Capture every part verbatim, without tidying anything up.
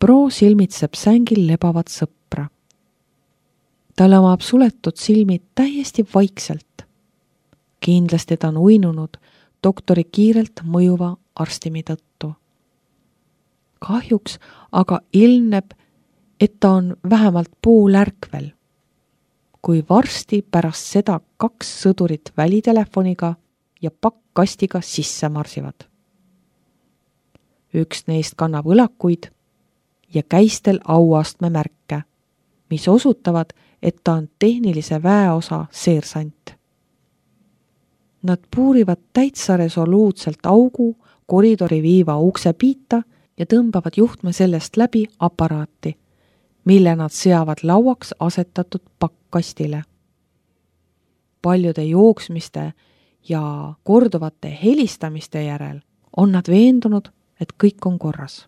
Pro silmitseb sängil lebavat sõpra. Ta lamab suletud silmid täiesti vaikselt. Kindlasti ta on uinunud doktori kiirelt mõjuva arstimi tõttu. Kahjuks aga ilmneb, et ta on vähemalt pool ärkvel, kui varsti pärast seda kaks sõdurit välitelefoniga ja pakkkastiga sisse marsivad. Üks neist kannab õlakuid ja käistel auastme märke, mis osutavad, et ta on tehnilise väeosa seersant. Nad puurivad täitsa resoluutselt augu koridori viiva ukse piita ja tõmbavad juhtme sellest läbi aparaati, mille nad seavad lauaks asetatud pakkastile. Paljude jooksmiste ja korduvate helistamiste järel on nad veendunud, et kõik on korras.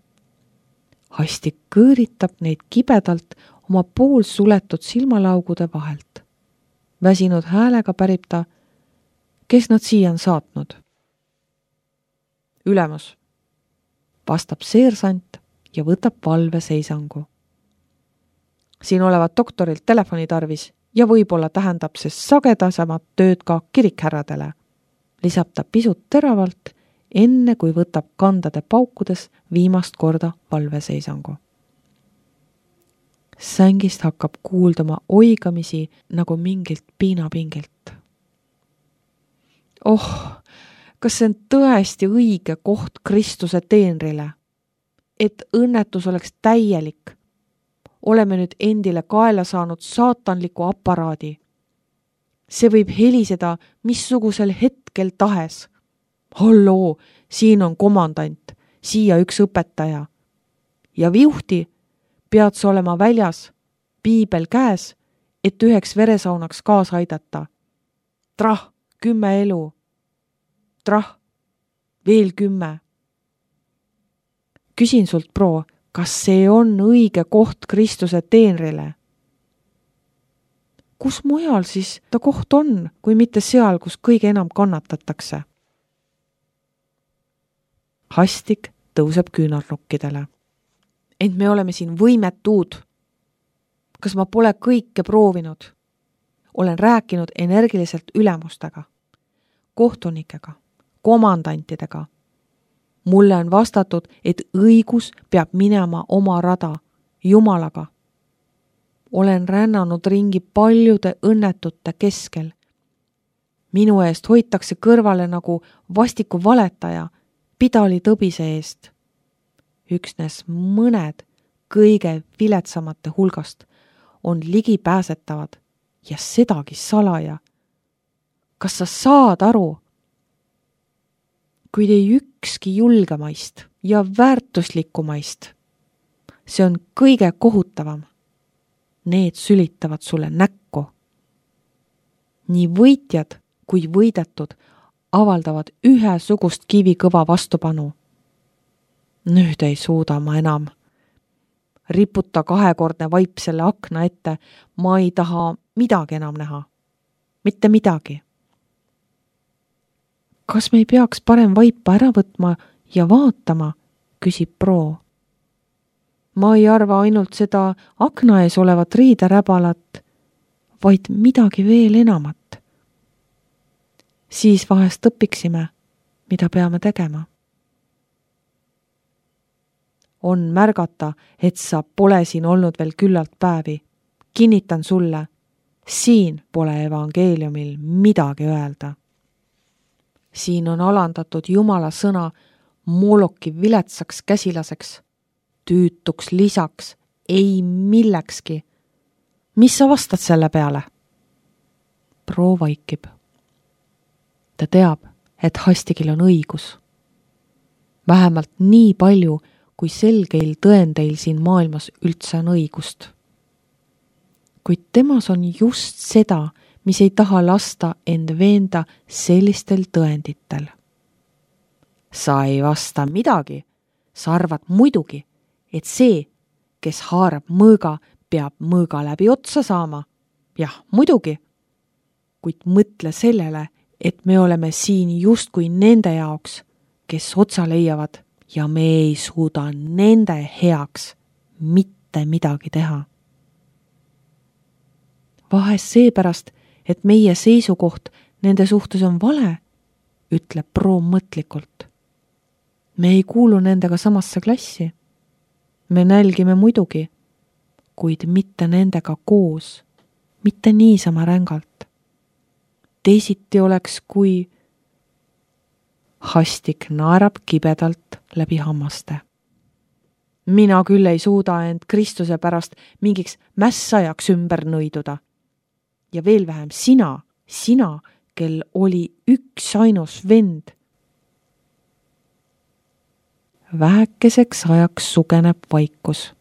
Hastik kõõritab neid kibedalt oma pool suletud silmalaugude vahelt. Väsinud häälega pärib ta, kes nad siia on saatnud. Ülemus, vastab seersant ja võtab valveseisangu. Siin olevat doktorilt telefoni tarvis ja võib-olla tähendab see sagedasemat tööd ka kirikhärradele. Lisab ta pisut teravalt, enne kui võtab kandade paukudes viimast korda valveseisangu. Sängist hakkab kuuldama oigamisi nagu mingilt piinapingilt. Oh, kas see on tõesti õige koht Kristuse teenrile? Et õnnetus oleks täielik. Oleme nüüd endile kaela saanud saatanliku aparaadi. See võib heliseda missugusel hetkel tahes. Halloo, siin on komandant, siia üks õpetaja. Ja viuhti pead sa olema väljas, piibel käes, et üheks veresaunaks kaasa aidata. Trah, kümme elu. Trah, veel kümme. Küsin sult, Pro, kas see on õige koht Kristuse teenrile? Kus mujal siis ta koht on, kui mitte seal, kus kõige enam kannatatakse? Hastik tõuseb küünarnukkidele. Ent me oleme siin võimetud. Kas ma pole kõike proovinud? Olen rääkinud energiliselt ülemustega, kohtunikega, komandantidega. Mulle on vastatud, et õigus peab minema oma rada, Jumalaga. Olen rännanud ringi paljude õnnetute keskel. Minu eest hoitakse kõrvale nagu vastiku valetaja, pidali tõbise eest. Üksnes mõned kõige viletsamate hulgast on ligipääsetavad ja sedagi salaja. Kas sa saad aru? Kuid ei ükski julgemaist ja väärtuslikumaist. See on kõige kohutavam. Need sülitavad sulle näkku. Nii võitjad kui võidetud avaldavad ühesugust kivikõva vastupanu. Nüüd ei suuda ma enam. Riputa kahekordne vaip selle akna ette, ma ei taha midagi enam näha. Mitte midagi. Kas me ei peaks parem vaipa ära võtma ja vaatama, küsib Pro. Ma ei arva ainult seda akna ees olevat riideräbalat, vaid midagi veel enamat. Siis vahest õpiksime, mida peame tegema. On märgata, et sa pole siin olnud veel küllalt päevi. Kinnitan sulle, siin pole evangeeliumil midagi öelda. Siin on alandatud Jumala sõna Moloki viletsaks käsilaseks, tüütuks lisaks, ei millekski. Mis sa vastad selle peale? Pro vaikib. Ta teab, et Hastigil on õigus. Vähemalt nii palju, kui selgeil tõendeil siin maailmas üldse on õigust. Kuid temas on just seda, mis ei taha lasta end veenda sellistel tõenditel. Sa ei vasta midagi, sa arvad muidugi, et see, kes haarab mõõga, peab mõõga läbi otsa saama. Jah, muidugi. Kuid mõtle sellele, et me oleme siin justkui nende jaoks, kes otsa leiavad ja me ei suuda nende heaks mitte midagi teha. Vahest seepärast, et meie seisukoht nende suhtes on vale, ütleb Pro mõtlikult. Me ei kuulu nendega samasse klassi. Me nälgime muidugi, kuid mitte nendega koos, mitte niisama rängalt. Teisiti oleks, kui Hastik naerab kibedalt läbi hammaste. Mina küll ei suuda end Kristuse pärast mingiks mässajaks ümber nõiduda. Ja veel vähem sina, sina, kel oli üks ainus vend. Vähekeseks ajaks sugeneb vaikus.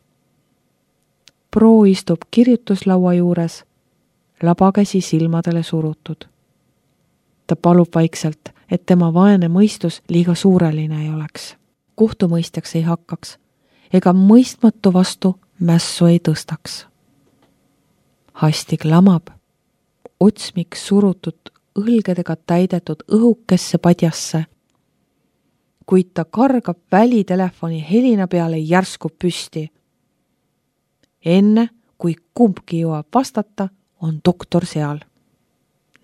Pro istub kirjutuslaua juures, labakäsi silmadele surutud. Ta palub vaikselt, et tema vaene mõistus liiga suureline ei oleks. Kohtumõistjaks ei hakkaks, ega mõistmatu vastu mässu ei tõstaks. Hastik lamab, otsmik surutud õlgedega täidetud õhukesse padjasse, kuid ta kargab välitelefoni helina peale järsku püsti. Enne, kui kumbki jõuab vastata, on doktor seal.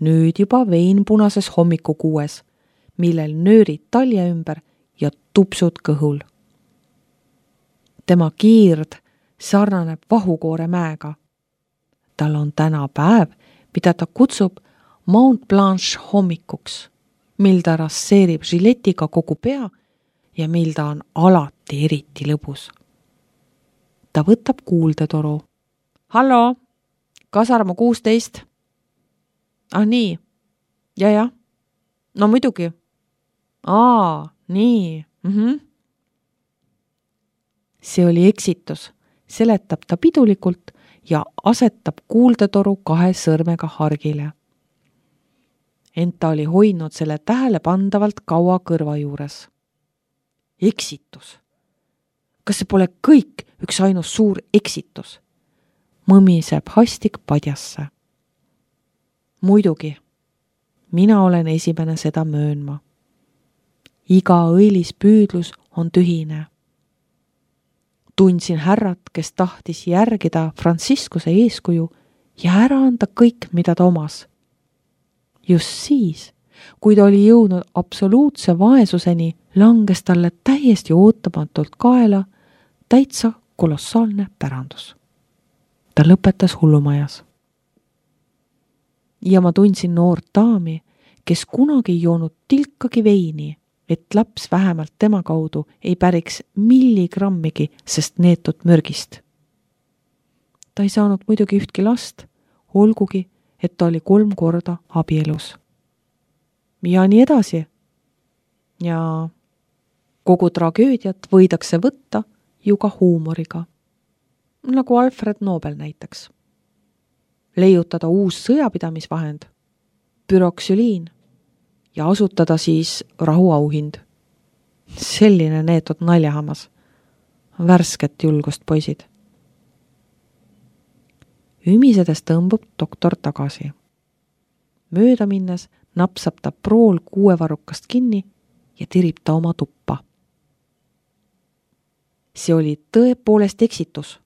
Nüüd juba veinpunases hommikukuues, millel nöörid talje ümber ja tupsud kõhul. Tema kiird sarnaneb vahukoore mäega. Tal on täna päev, mida ta kutsub Mount Blanche hommikuks, mil ta rasseerib žiletiga kogu pea ja mil ta on alati eriti lõbus. Ta võtab kuuldetoru. Hallo, Kasarmu kuusteist. Ah nii, ja ja, no muidugi. Aa, nii, mhm. See oli eksitus, seletab ta pidulikult ja asetab kuuldetoru kahe sõrmega hargile. Ent ta oli hoidnud selle tähele pandavalt kaua kõrva juures. Eksitus. Kas see pole kõik üks ainus suur eksitus? Mõmiseb Hastik padjasse. Muidugi, mina olen esimene seda möönma. Iga õilis püüdlus on tühine. Tundsin härrat, kes tahtis järgida Franciscuse eeskuju ja ära anda kõik, mida ta omas. Just siis, kui ta oli jõudnud absoluutse vaesuseni, langes talle täiesti ootamatult kaela täitsa kolossaalne pärandus. Ta lõpetas hullumajas. Ja ma tundsin noort daami, kes kunagi ei joonud tilkagi veini, et laps vähemalt tema kaudu ei päriks milligrammigi sest neetud mürgist. Ta ei saanud muidugi ühtki last, olgugi, et ta oli kolm korda abielus. Ja nii edasi. Ja kogu tragöödiat võidakse võtta ju ka huumoriga. Nagu Alfred Nobel näiteks. Leiutada uus sõjapidamisvahend, büroksüliin ja asutada siis rahuauhind. Selline neetud naljahammas. Värsket julgust poisid. Ümisedes tõmbub doktor tagasi. Mööda minnes napsab ta Prool kuuevarrukast kinni ja tirib ta oma tuppa. See oli tõepoolest eksitus.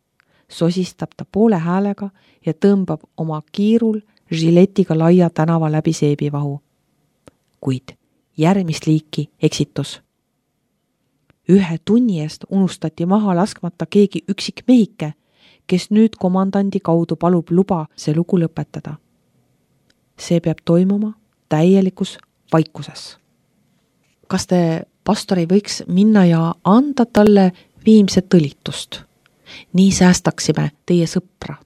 Sosistab ta poole häälega ja tõmbab oma kiirul žiletiga laia tänava läbi seebivahu. Kuid järgmist liiki eksitus. Ühe tunni eest unustati maha laskmata keegi üksik mehike, kes nüüd komandandi kaudu palub luba see lugu lõpetada. See peab toimuma täielikus vaikuses. Kas te, pastor, ei võiks minna ja anda talle viimset õlitust? Nii säästaksime teie sõpra.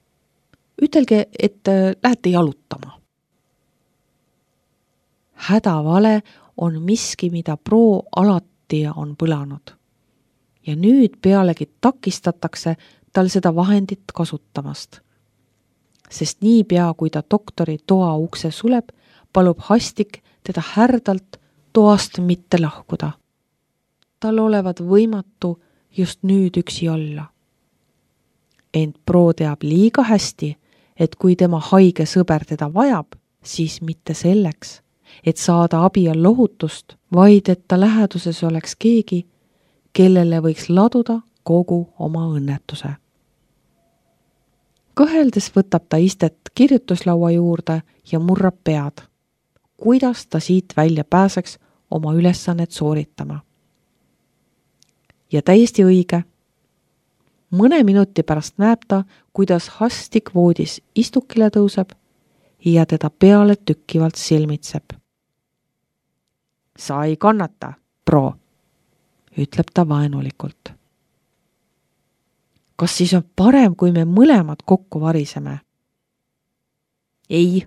Ütelge, et lähete jalutama. Hädavale on miski, mida Pro alati on põlanud. Ja nüüd pealegi takistatakse tal seda vahendit kasutamast. Sest nii pea, kui ta doktori toa ukse suleb, palub Hastik teda härdalt toast mitte lahkuda. Tal olevat võimatu just nüüd üksi olla. Ent Pro teab liiga hästi, et kui tema haige sõber teda vajab, siis mitte selleks, et saada abi ja lohutust, vaid et ta läheduses oleks keegi, kellele võiks laduda kogu oma õnnetuse. Kõheldes võtab ta istet kirjutuslaua juurde ja murrab pead, kuidas ta siit välja pääseks oma ülesannet sooritama. Ja täiesti õige. Mõne minuti pärast näeb ta, kuidas Hastik voodis istukile tõuseb ja teda peale tükkivalt silmitseb. Sa ei kannata, pro, ütleb ta vaenulikult. Kas siis on parem, kui me mõlemad kokku variseme? Ei,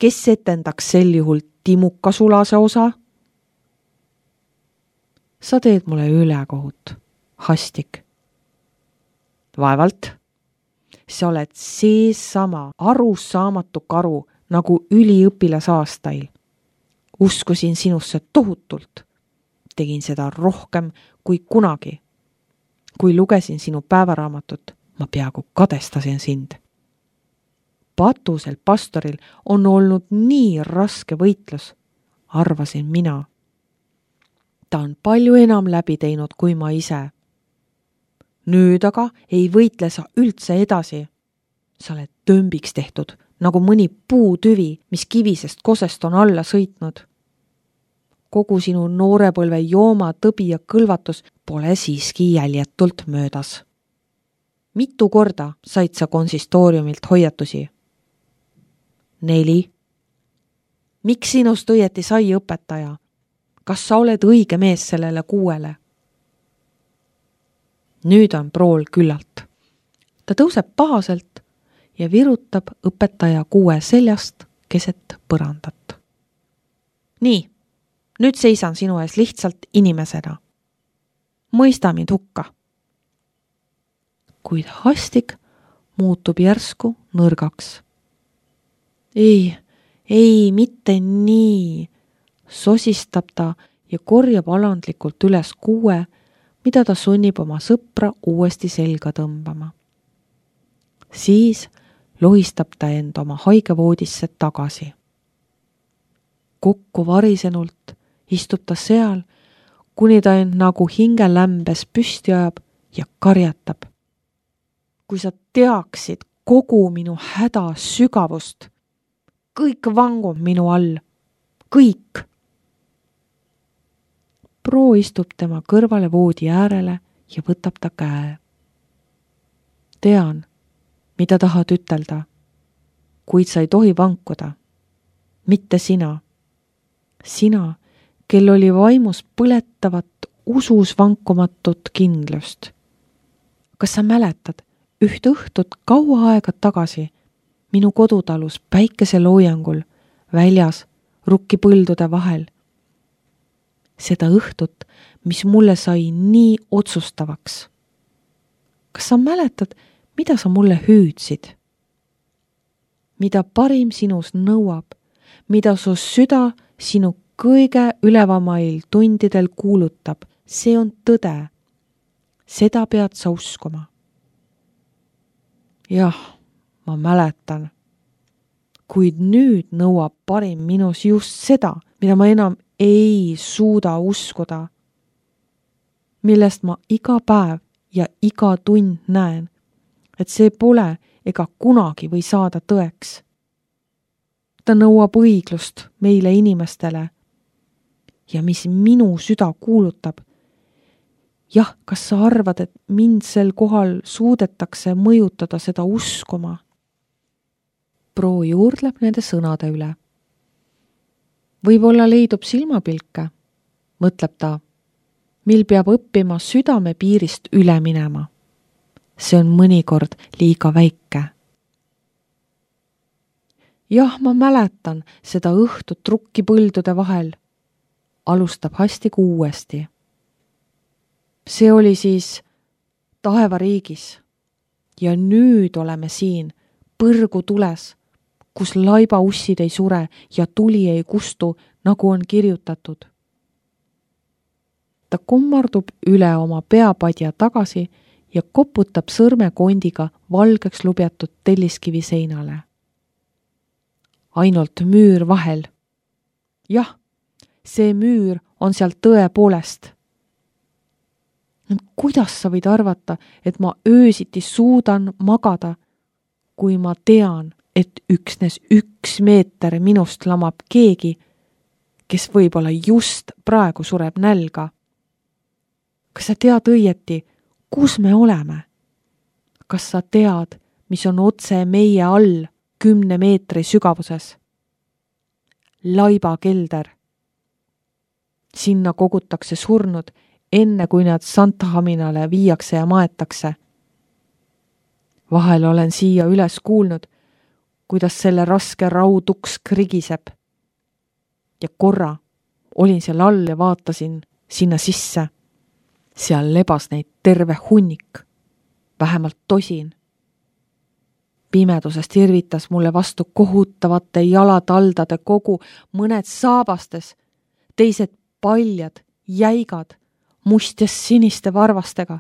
kes etendaks sel juhul Timuka sulase osa? Sa teed mulle ülekohut, Hastik. Vaevalt. Sa oled seesama arusaamatu karu nagu üliõpilasaastail. Uskusin sinusse tohutult. Tegin seda rohkem kui kunagi. Kui lugesin sinu päevaraamatut, ma peaaegu kadestasin sind. Patusel pastoril on olnud nii raske võitlus, arvasin mina. Ta on palju enam läbi teinud kui ma ise. Nüüd aga ei võitle sa üldse edasi. Sa oled tömbiks tehtud, nagu mõni puutüvi, mis kivisest kosest on alla sõitnud. Kogu sinu noorepõlve jooma, tõbi ja kõlvatus pole siiski jäljetult möödas. Mitu korda said sa konsistooriumilt hoiatusi? Neli. Miks sinust õieti sai õpetaja? Kas sa oled õige mees sellele kuuele? Nüüd on prool küllalt. Ta tõuseb pahaselt ja virutab õpetaja kuue seljast keset põrandat. Nii, nüüd seisan sinu ees lihtsalt inimesena. Mõista mind hukka. Kuid Hastik muutub järsku nõrgaks. Ei, ei, mitte nii, sosistab ta ja korjab alandlikult üles kuue, mida ta sunnib oma sõpra uuesti selga tõmbama. Siis lohistab ta end oma haigevoodisse tagasi. Kokku varisenult istub ta seal, kuni ta end nagu hingelämbes püsti ajab ja karjatab. Kui sa teaksid kogu minu häda sügavust, kõik vangub minu all, kõik. Pro istub tema kõrvale voodi äärele ja võtab ta käe. Tean, mida tahad ütelda, kuid sa ei tohi vankuda. Mitte sina. Sina, kel oli vaimus põletavat, usus vankumatut kindlust. Kas sa mäletad üht õhtut kaua aega tagasi minu kodutalus päikeseloojangul väljas rukkipõldude vahel? Seda õhtut, mis mulle sai nii otsustavaks. Kas sa mäletad, mida sa mulle hüüdsid? Mida parim sinus nõuab, mida su süda sinu kõige ülevamail tundidel kuulutab, see on tõde. Seda pead sa uskuma. Jah, ma mäletan. Kuid nüüd nõuab parim minus just seda, mida ma enam ei suuda uskuda, millest ma iga päev ja iga tund näen, et see pole ega kunagi või saada tõeks. Ta nõuab õiglust meile inimestele ja mis minu süda kuulutab. Jah, kas sa arvad, et mind sel kohal suudetakse mõjutada seda uskuma? Pro juurdleb nende sõnade üle. Võib-olla leidub silmapilke, mõtleb ta, mil peab õppima südame piirist üle minema. See on mõnikord liiga väike. Jah, ma mäletan seda õhtut rukkipõldude vahel, alustab Hastik uuesti. See oli siis taevariigis ja nüüd oleme siin põrgu tules, kus laibaussid ei sure ja tuli ei kustu, nagu on kirjutatud. Ta kummardub üle oma peapadja tagasi ja koputab sõrmekondiga valgeks lubjatud telliskivi seinale. Ainult müür vahel. Jah, see müür on seal tõepoolest. Kuidas sa võid arvata, et ma öösiti suudan magada, kui ma tean, et üksnes üks meeter minust lamab keegi, kes võib-olla just praegu sureb nälga. Kas sa tead õieti, kus me oleme? Kas sa tead, mis on otse meie all kümne meetri sügavuses? Laiba kelder. Sinna kogutakse surnud, enne kui nad Santhaminale viiakse ja maetakse. Vahel olen siia üles kuulnud, kuidas selle raske rauduks krigiseb. Ja korra olin seal all ja vaatasin sinna sisse. Seal lebas neid terve hunnik, vähemalt tosin. Pimedusest irvitas mulle vastu kohutavate jalataldade kogu, mõned saabastes, teised paljad, jäigad, mustjas siniste varvastega.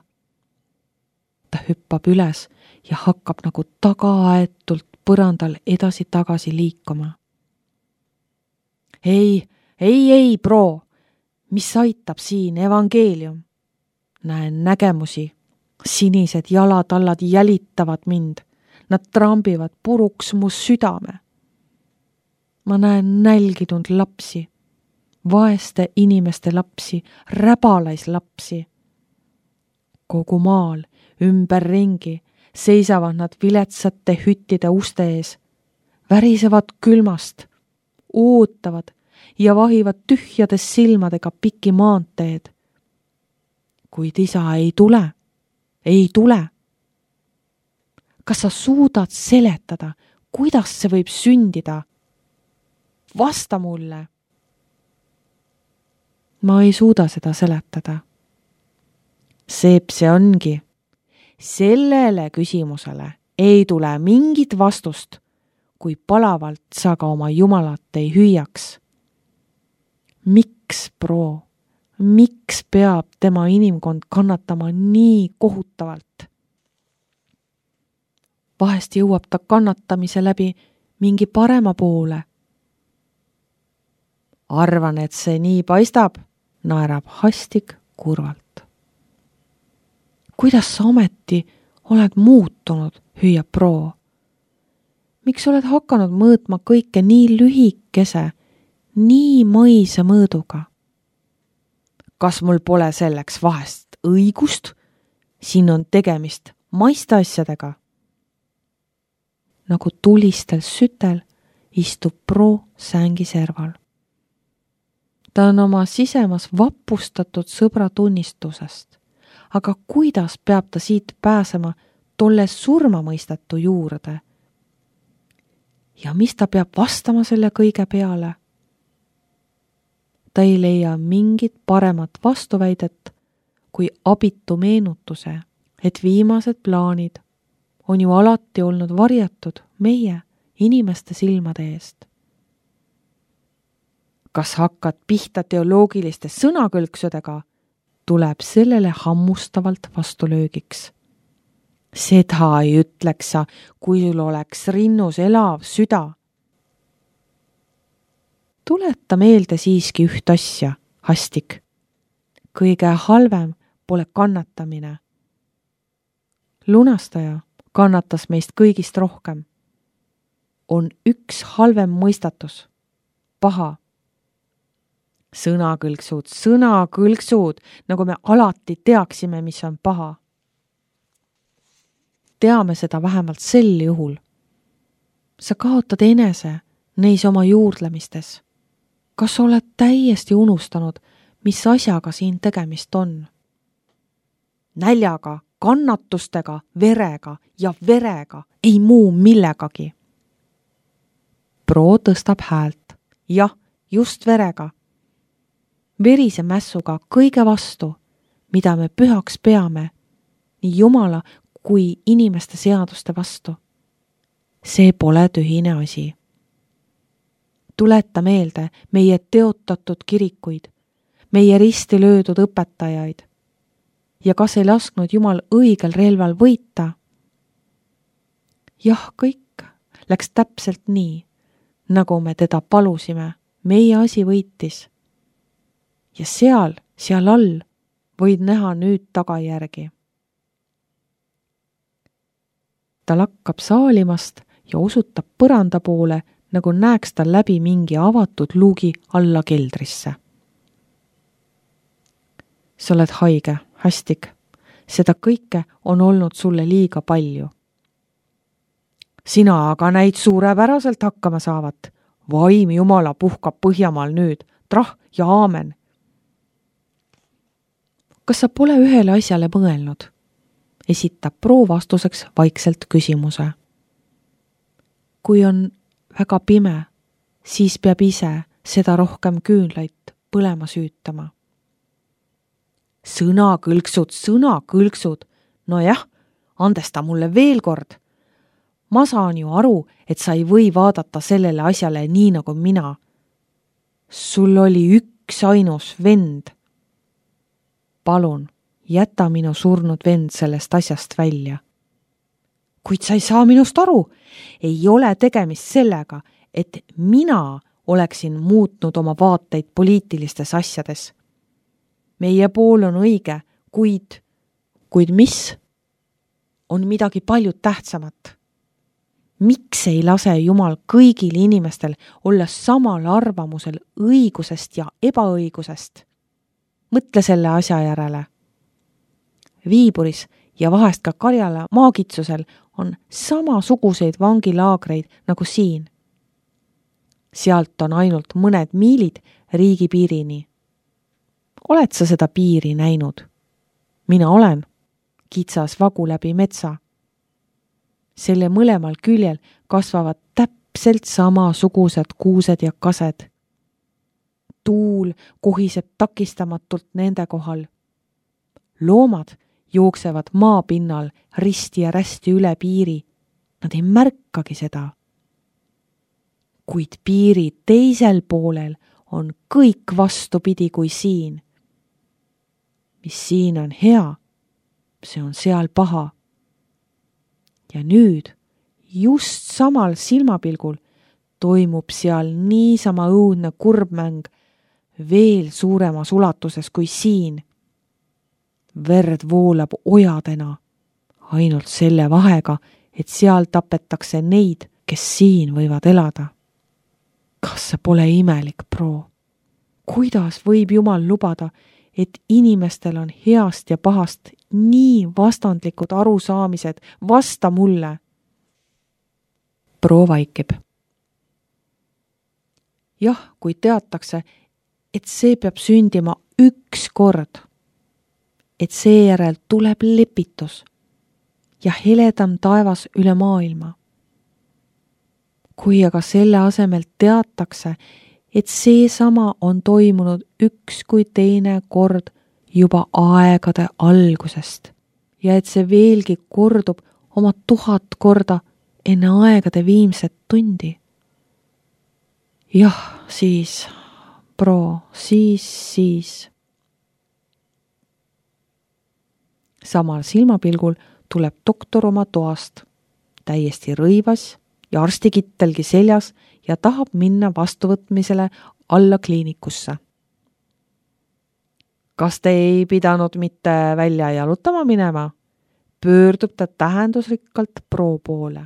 Ta hüppab üles ja hakkab nagu tagaaetult põrandal edasi-tagasi liikuma. Ei, ei, ei, pro, mis aitab siin evangeelium? Näen nägemusi, sinised jalatallad jälitavad mind, nad trambivad puruks mu südame. Ma näen nälginud lapsi, vaeste inimeste lapsi, räbalaislapsi. Kogu maal, ümberringi, seisavad nad viletsate hüttide uste ees, värisevad külmast, ootavad ja vahivad tühjades silmadega piki maanteed. Kuid isa ei tule, ei tule. Kas sa suudad seletada, kuidas see võib sündida? Vasta mulle. Ma ei suuda seda seletada. Seep see ongi. Sellele küsimusele ei tule mingit vastust, kui palavalt sa ka oma jumalat ei hüüaks. Miks, pro, miks peab tema inimkond kannatama nii kohutavalt? Vahest jõuab ta kannatamise läbi mingi parema poole. Arvan, et see nii paistab, naerab Hastik kurvalt. Kuidas sa ometi oled muutunud, hüüab pro? Miks oled hakanud mõõtma kõike nii lühikese, nii mõise mõõduga? Kas mul pole selleks vahest õigust? Siin on tegemist maiste asjadega. Nagu tulistel sütel istub pro sängi serval. Ta on oma sisemas vapustatud sõbra tunnistusest, aga kuidas peab ta siit pääsema tolle surmamõistatu juurde? Ja mis ta peab vastama selle kõige peale? Ta ei leia mingit paremat vastuväidet kui abitu meenutuse, et viimased plaanid on ju alati olnud varjatud meie inimeste silmade eest. Kas hakkad pihta teoloogiliste sõnakõlksudega, tuleb sellele hammustavalt vastulöögiks. Seda ei ütleks sa, kui sul oleks rinnus elav süda. Tuleta meelde siiski üht asja, Hastik. Kõige halvem pole kannatamine. Lunastaja kannatas meist kõigist rohkem. On üks halvem mõistatus, paha. Sõnakõlksud, sõnakõlksud, nagu me alati teaksime, mis on paha. Teame seda vähemalt sel juhul. Sa kaotad enese neis oma juurdlemistes. Kas oled täiesti unustanud, mis asjaga siin tegemist on? Näljaga, kannatustega, verega ja verega, ei muu millegagi. Pro tõstab häält. Jah, just verega. Verise mässuga kõige vastu, mida me pühaks peame, nii Jumala kui inimeste seaduste vastu. See pole tühine asi. Tuleta meelde meie teotatud kirikuid, meie risti löödud õpetajaid. Ja kas ei lasknud Jumal õigel relval võita? Jah, kõik läks täpselt nii, nagu me teda palusime, meie asi võitis. Ja seal, seal all võid näha nüüd tagajärgi. ta lakkab saalimast ja osutab põranda poole, nagu näeks ta läbi mingi avatud luugi alla keldrisse. Sa oled haige, Hastik. Seda kõike on olnud sulle liiga palju. Sina aga näid suurepäraselt hakkama saavat. Vaim Jumala puhkab Põhjamaal nüüd, trah ja aamen. Kas sa pole ühele asjale mõelnud? Esitab Pro vastuseks vaikselt küsimuse. Kui on väga pime, siis peab ise seda rohkem küünlaid põlema süütama. Sõna kõlksud, sõna kõlksud. No jah, andesta mulle veel kord. Ma saan ju aru, et sa ei või vaadata sellele asjale nii nagu mina. Sul oli üks ainus vend. Palun, jäta minu surnud vend sellest asjast välja. Kuid sa ei saa minust aru. Ei ole tegemist sellega, et mina oleksin muutnud oma vaateid poliitilistes asjades. Meie pool on õige, kuid, kuid mis? On midagi palju tähtsamat. Miks ei lase Jumal kõigil inimestel olla samal arvamusel õigusest ja ebaõigusest? Mõtle selle asja järele. Viiburis ja vahest ka Karjala maagitsusel on samasuguseid vangilaagreid nagu siin. Sealt on ainult mõned miilid riigipiirini. Oled sa seda piiri näinud? Mina olen. Kitsas vagu läbi metsa. Selle mõlemal küljel kasvavad täpselt samasugused kuused ja kased. Tuul kohiseb takistamatult nende kohal. Loomad jooksevad maapinnal risti ja rästi üle piiri. Nad ei märkagi seda. Kuid piiri teisel poolel on kõik vastupidi kui siin. Mis siin on hea, see on seal paha. Ja nüüd, just samal silmapilgul, toimub seal niisama õudne kurbmäng veel suuremas ulatuses kui siin. Verd voolab ojadena, ainult selle vahega, et seal tapetakse neid, kes siin võivad elada. Kas see pole imelik, Pro? Kuidas võib Jumal lubada, et inimestel on heast ja pahast nii vastandlikud arusaamised? Vasta mulle. Pro vaikib. Jah, kui teatakse, et see peab sündima üks kord, et seejärel tuleb lepitus ja heledam taevas üle maailma. Kui aga selle asemel teatakse, et seesama on toimunud üks kui teine kord juba aegade algusest ja et see veelgi kordub oma tuhat korda enne aegade viimset tundi. Jah, siis, Pro, siis, siis. Samal silmapilgul tuleb doktor oma toast, täiesti rõivas ja arstikittelgi seljas ja tahab minna vastuvõtmisele alla kliinikusse. Kas te ei pidanud mitte välja jalutama minema? Pöördub ta tähendusrikkalt Pro poole.